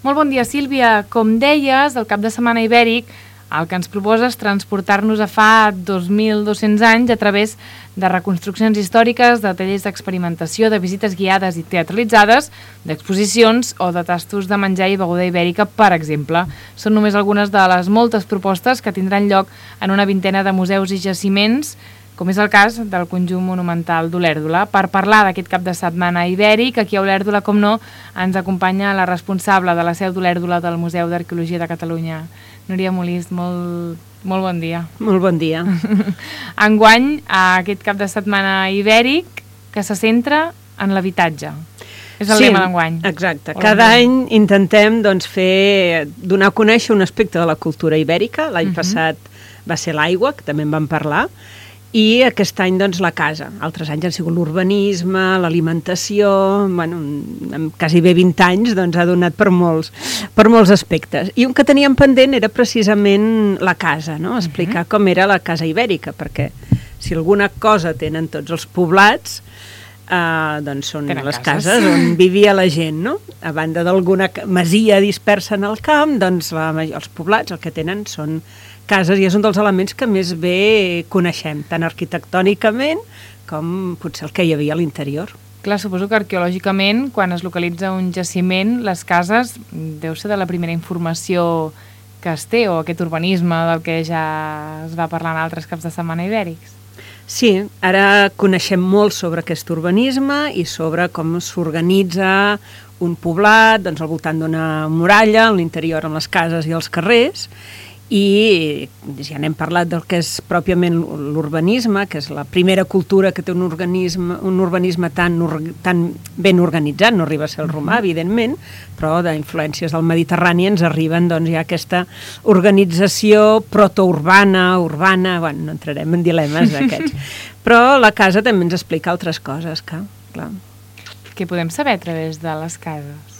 Molt bon dia, Sílvia. Com deies, el cap de setmana ibèric el que ens proposa és transportar-nos a fa 2.200 anys a través de reconstruccions històriques, de tallers d'experimentació, de visites guiades i teatralitzades, d'exposicions o de tastos de menjar i beguda ibèrica, per exemple. Són només algunes de les moltes propostes que tindran lloc en una vintena de museus i jaciments, com és el cas del conjunt monumental d'Olèrdola. Per parlar d'aquest cap de setmana ibèric, aquí a Olèrdola, com no, ens acompanya la responsable de la seu d'Olèrdola del Museu d'Arqueologia de Catalunya, Núria Molist. Molt bon dia. Molt bon dia. Enguany, aquest cap de setmana ibèric que se centra en l'habitatge. És el lema d'enguany. Exacte. Cada any intentem donar a conèixer un aspecte de la cultura ibèrica. L'any passat va ser l'aigua, que també en vam parlar, i aquest any la casa. Altres anys han sigut l'urbanisme, l'alimentació, amb quasi bé 20 anys ha donat per molts aspectes. I un que teníem pendent era precisament la casa, no? Explicar com era la casa ibèrica, perquè si alguna cosa tenen tots els poblats, són les cases on vivia la gent, no? A banda d'alguna masia dispersa en el camp, els poblats el que tenen són cases, i és un dels elements que més bé coneixem, tant arquitectònicament com potser el que hi havia a l'interior. Clar, suposo que arqueològicament, quan es localitza un jaciment, les cases deu ser de la primera informació que es té, o aquest urbanisme del que ja es va parlar en altres caps de setmana ibèrics. Sí, ara coneixem molt sobre aquest urbanisme i sobre com s'organitza un poblat al voltant d'una muralla, a l'interior amb les cases i els carrers, i ja n'hem parlat del que és pròpiament l'urbanisme, que és la primera cultura que té un urbanisme tan ben organitzat. No arriba a ser el romà, evidentment, però d'influències del Mediterrani ens arriben ja aquesta organització protourbana, urbana, no entrarem en dilemes d'aquests. Però la casa també ens explica altres coses, clar. Què podem saber a través de les cases?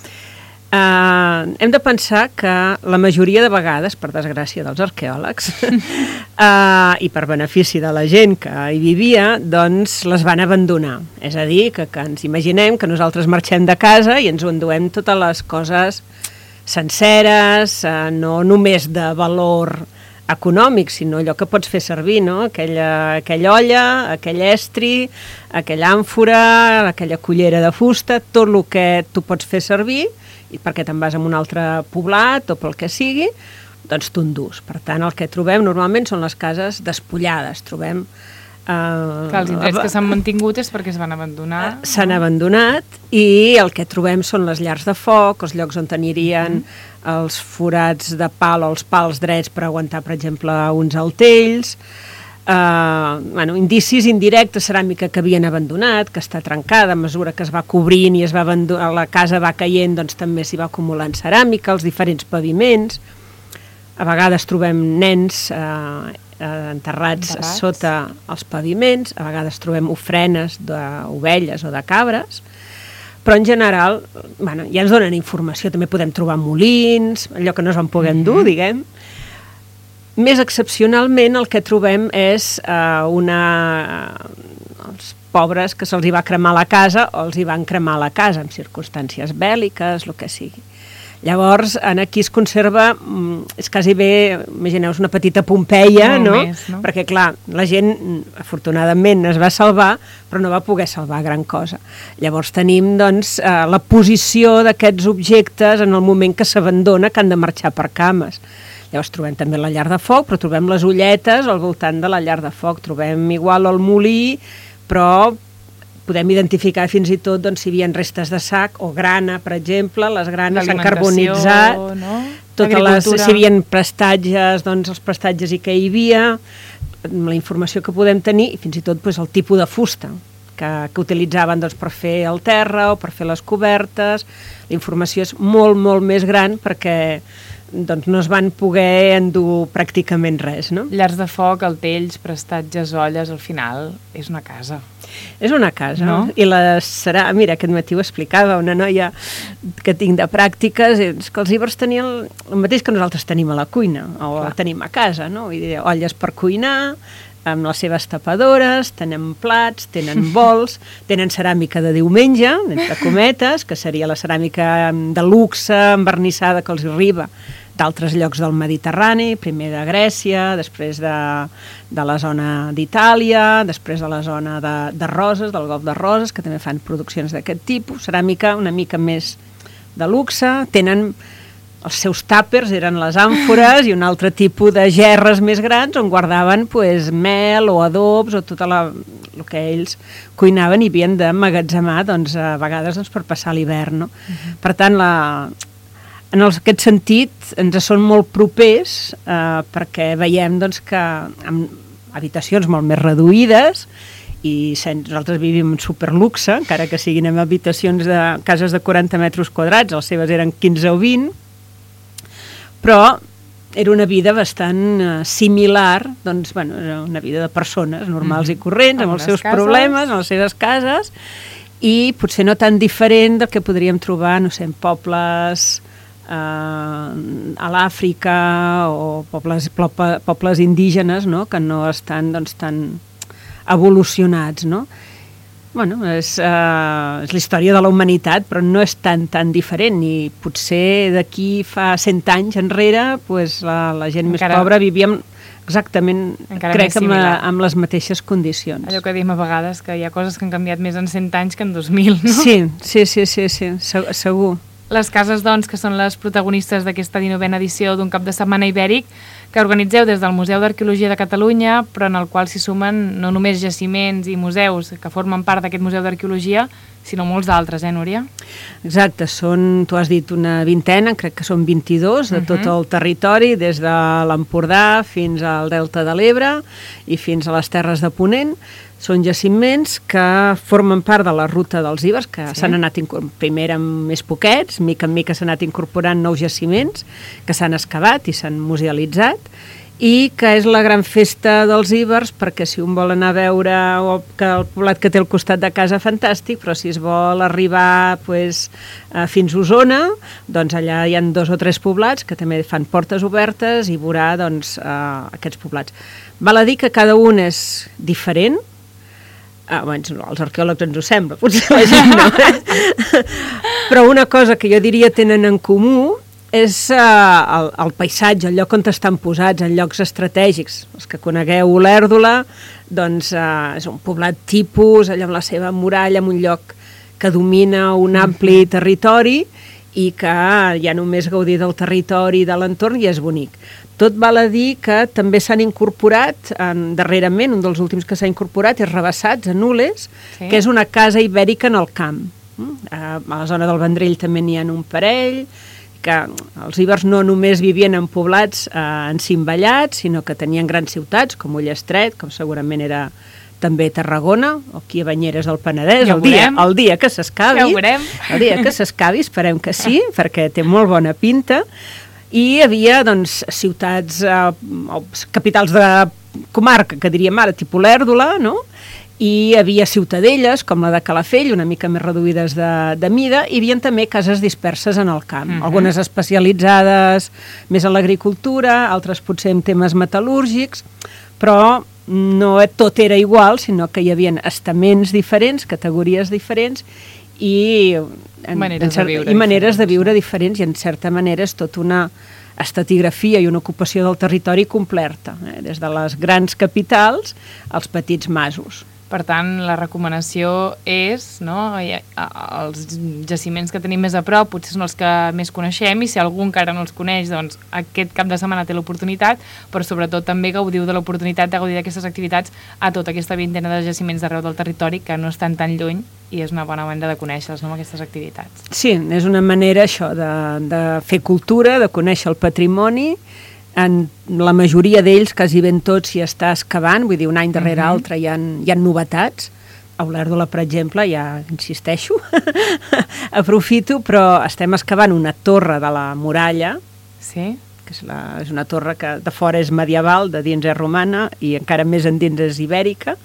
Hem de pensar que la majoria de vegades, per desgràcia dels arqueòlegs, i per benefici de la gent que hi vivia, les van abandonar. És a dir, que ens imaginem que nosaltres marxem de casa i ens ho enduem totes les coses senceres, no només de valor econòmic, sinó allò que pots fer servir, no? Aquella olla, aquell estri, aquella àmfora, aquella cullera de fusta, tot el que tu pots fer servir, i perquè te'n vas a un altre poblat o pel que sigui, t'ho endús. Per tant, el que trobem normalment són les cases despullades. Trobem... els indrets que s'han mantingut és perquè es van abandonar. S'han abandonat, i el que trobem són les llars de foc, els llocs on tenirien els forats de pal o els pals drets per aguantar, per exemple, uns altells, indicis indirectes, ceràmica que havien abandonat, que està trencada a mesura que es va cobrint i la casa va caient, també s'hi va acumulant ceràmica, els diferents paviments. A vegades trobem nens enterrats sota els paviments, a vegades trobem ofrenes d'ovelles o de cabres, però en general ja ens donen informació. També podem trobar molins, allò que no es van poder endur, diguem. Més excepcionalment el que trobem és els pobres que se'ls hi va cremar la casa o els hi van cremar la casa en circumstàncies bèl·liques, el que sigui. Llavors, aquí es conserva, és quasi bé, imagineu-vos una petita Pompeia, no? Perquè, clar, la gent, afortunadament, es va salvar, però no va poder salvar gran cosa. Llavors tenim, la posició d'aquests objectes en el moment que s'abandona, que han de marxar per cames. Llavors trobem també la llar de foc, però trobem les olletes al voltant de la llar de foc. Trobem igual el molí, però podem identificar fins i tot si hi havia restes de sac o grana, per exemple, les granes s'han carbonitzat, si hi havia prestatges, els prestatges i què hi havia, la informació que podem tenir, i fins i tot el tipus de fusta que utilitzaven per fer el terra o per fer les cobertes. La informació és molt, molt més gran perquè no es van poder endur pràcticament res, no? Llars de foc, altells, prestatges, olles, al final és una casa. És una casa, no? I mira, aquest matí ho explicava una noia que tinc de pràctiques, és que els ibers tenien el mateix que nosaltres tenim a la cuina, o tenim a casa, no? Vull dir, olles per cuinar, amb les seves tapadores, tenen plats, tenen bols, tenen ceràmica de diumenge, entre cometes, que seria la ceràmica de luxe, envernissada, que els arriba d'altres llocs del Mediterrani, primer de Grècia, després de la zona d'Itàlia, després de la zona de Roses, del Golf de Roses, que també fan produccions d'aquest tipus, ceràmica una mica més de luxe, tenen els seus tàpers, eren les àmfores i un altre tipus de gerres més grans on guardaven mel o adobs o tot el que ells cuinaven i havien d'emmagatzemar a vegades per passar l'hivern. No? Per tant, en aquest sentit ens són molt propers perquè veiem que amb habitacions molt més reduïdes i nosaltres vivim en superluxe, encara que siguin en habitacions de cases de 40 metres quadrats, les seves eren 15 o 20, però era una vida bastant similar, era una vida de persones normals i corrents, amb els seus problemes, en les seves cases, i potser no tan diferent del que podríem trobar, no sé, en pobles a l'Àfrica o pobles indígenes, no?, que no estan tan evolucionats, no? És la història de la humanitat, però no és tan diferent, i potser d'aquí fa 100 anys enrere la gent més pobra vivia exactament, crec, amb les mateixes condicions. Allò que diem a vegades, que hi ha coses que han canviat més en 100 anys que en 2000, no? Sí, segur. Les cases, doncs, que són les protagonistes d'aquesta 19a edició d'un cap de setmana ibèric que organitzeu des del Museu d'Arqueologia de Catalunya, però en el qual s'hi sumen no només jaciments i museus que formen part d'aquest Museu d'Arqueologia, sinó molts d'altres, Núria? Exacte, tu has dit una vintena, crec que són 22 de tot el territori, des de l'Empordà fins al Delta de l'Ebre i fins a les Terres de Ponent. Són jaciments que formen part de la ruta dels Ibers, que s'han anat primer amb més poquets, mica en mica s'han anat incorporant nous jaciments que s'han excavat i s'han musealitzat, i que és la gran festa dels Ibers, perquè si un vol anar a veure que el poblat que té al costat de casa, fantàstic, però si es vol arribar fins a Osona, doncs allà hi ha 2 o 3 poblats que també fan portes obertes i veurà aquests poblats. Val a dir que cada un és diferent. Els arqueòlegs ens ho sembla, potser la gent no. Però una cosa que jo diria tenen en comú és el paisatge, el lloc on estan posats, en llocs estratègics. Els que conegueu Olèrdola, doncs és un poblat tipus, allà amb la seva muralla, en un lloc que domina un ampli territori i que ja només gaudir del territori i de l'entorn ja és bonic. Tot val a dir que també s'han incorporat, darrerament, un dels últims que s'ha incorporat és Rabassats, a Nules, que és una casa ibèrica en el camp. A la zona del Vendrell també n'hi ha un parell, que els ibers no només vivien en poblats encimbellats, sinó que tenien grans ciutats, com Ullastret, com segurament era també Tarragona, o aquí a Banyeres del Penedès, el dia que s'excavi. Ja ho veurem. El dia que s'excavi, esperem que sí, perquè té molt bona pinta. I hi havia ciutats, capitals de comarca, que diríem ara, tipus Olèrdola, no? I hi havia ciutadelles, com la de Calafell, una mica més reduïdes de mida, i hi havia també cases disperses en el camp, algunes especialitzades més en l'agricultura, altres potser en temes metal·lúrgics, però no tot era igual, sinó que hi havia estaments diferents, categories diferents, i maneres de viure diferents, i en certa manera és tot una estratigrafia i una ocupació del territori completa, des de les grans capitals als petits masos. Per tant, la recomanació és, els jaciments que tenim més a prop potser són els que més coneixem, i si algú encara no els coneix, doncs aquest cap de setmana té l'oportunitat, però sobretot també gaudiu de l'oportunitat de gaudir d'aquestes activitats a tota aquesta vintena de jaciments d'arreu del territori que no estan tan lluny, i és una bona manera de conèixer-los, aquestes activitats. Sí, és una manera això de fer cultura, de conèixer el patrimoni. En la majoria d'ells, quasi ben tots, s'hi està excavant, vull dir, un any darrere altre hi ha novetats. A Olèrdola, per exemple, ja insisteixo, aprofito, però estem excavant una torre de la muralla, que és una torre que de fora és medieval, de dins és romana, i encara més endins és ibèrica,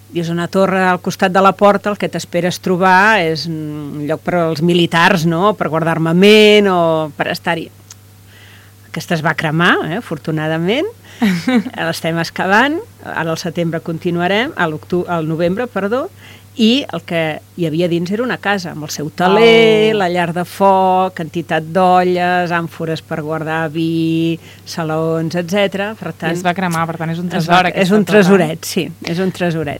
i és una torre al costat de la porta, el que t'esperes trobar és un lloc per als militars, no?, per guardar armament o per estar-hi. aquesta es va cremar, afortunadament, l'estem excavant, ara al setembre continuarem, al novembre, perdó, i el que hi havia dins era una casa, amb el seu taler, la llar de foc, quantitat d'olles, àmfores per guardar vi, salons, etc. Per tant, I es va cremar, per tant és un tresor. És un tresoret, sí, és un tresoret.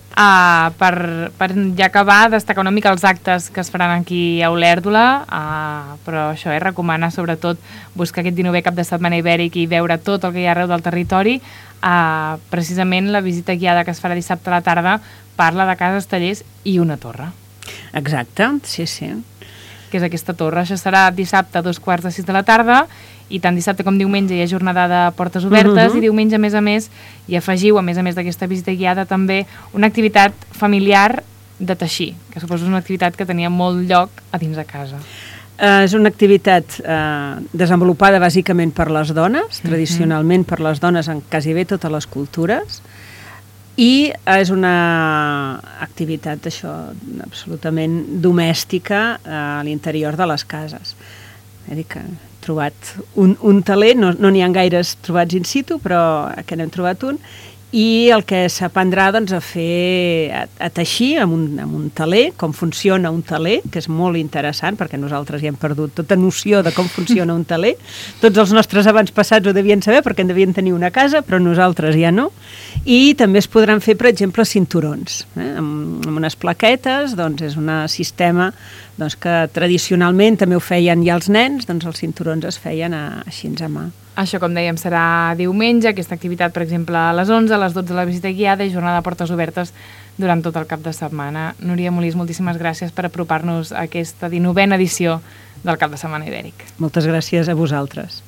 Per ja acabar, destacar una mica els actes que es faran aquí a Olèrdola, però això, recomanar sobretot buscar aquest 19è cap de setmana ibèric i veure tot el que hi ha arreu del territori. Precisament la visita guiada que es farà dissabte a la tarda parla de cases, tallers i una torre. Exacte, sí, sí. Que és aquesta torre. Això serà dissabte a 5:45 de la tarda i tant dissabte com diumenge hi ha jornada de portes obertes i diumenge, a més, hi afegiu, a més d'aquesta visita guiada, també una activitat familiar de teixir, que suposo és una activitat que tenia molt lloc a dins de casa. És una activitat desenvolupada bàsicament per les dones, tradicionalment per les dones en quasi bé totes les cultures, i és una activitat absolutament domèstica a l'interior de les cases. He trobat un taler, no n'hi ha gaires trobats in situ, però que n'hem trobat un, i el que s'aprendrà a teixir amb un taler, com funciona un taler, que és molt interessant, perquè nosaltres ja hem perdut tota noció de com funciona un taler. Tots els nostres avantpassats ho devien saber, perquè en devien tenir una casa, però nosaltres ja no. I també es podran fer, per exemple, cinturons, amb unes plaquetes. És un sistema que tradicionalment també ho feien ja els nens, els cinturons es feien així a mà. Això, com dèiem, serà diumenge, aquesta activitat, per exemple, a les 11, a les 12 la visita guiada i jornada de portes obertes durant tot el cap de setmana. Núria Molís, moltíssimes gràcies per apropar-nos a aquesta 19a edició del Cap de Setmana Ibèric. Moltes gràcies a vosaltres.